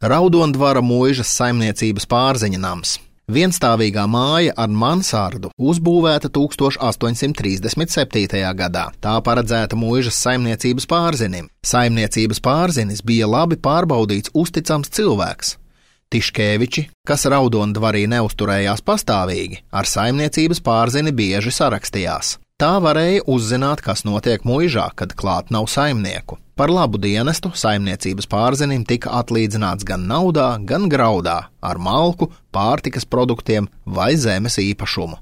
Raudondvara muižas saimniecības Pārziņa nams. Vienstāvīgā māja ar mansardu uzbūvēta 1837. gadā. Tā paredzēta muižas saimniecības Pārzinim. Saimniecības Pārzinis bija labi pārbaudīts uzticams cilvēks. Tiškēviči, kas Raudondvarī neusturējās pastāvīgi, ar saimniecības Pārzini bieži sarakstījās. Tā varēja uzzināt, kas notiek muižā, kad klāt nav saimnieku. Par labu dienestu saimniecības Pārzinim tika atlīdzināts gan naudā, gan graudā, ar malku, pārtikas produktiem vai zemes īpašumu.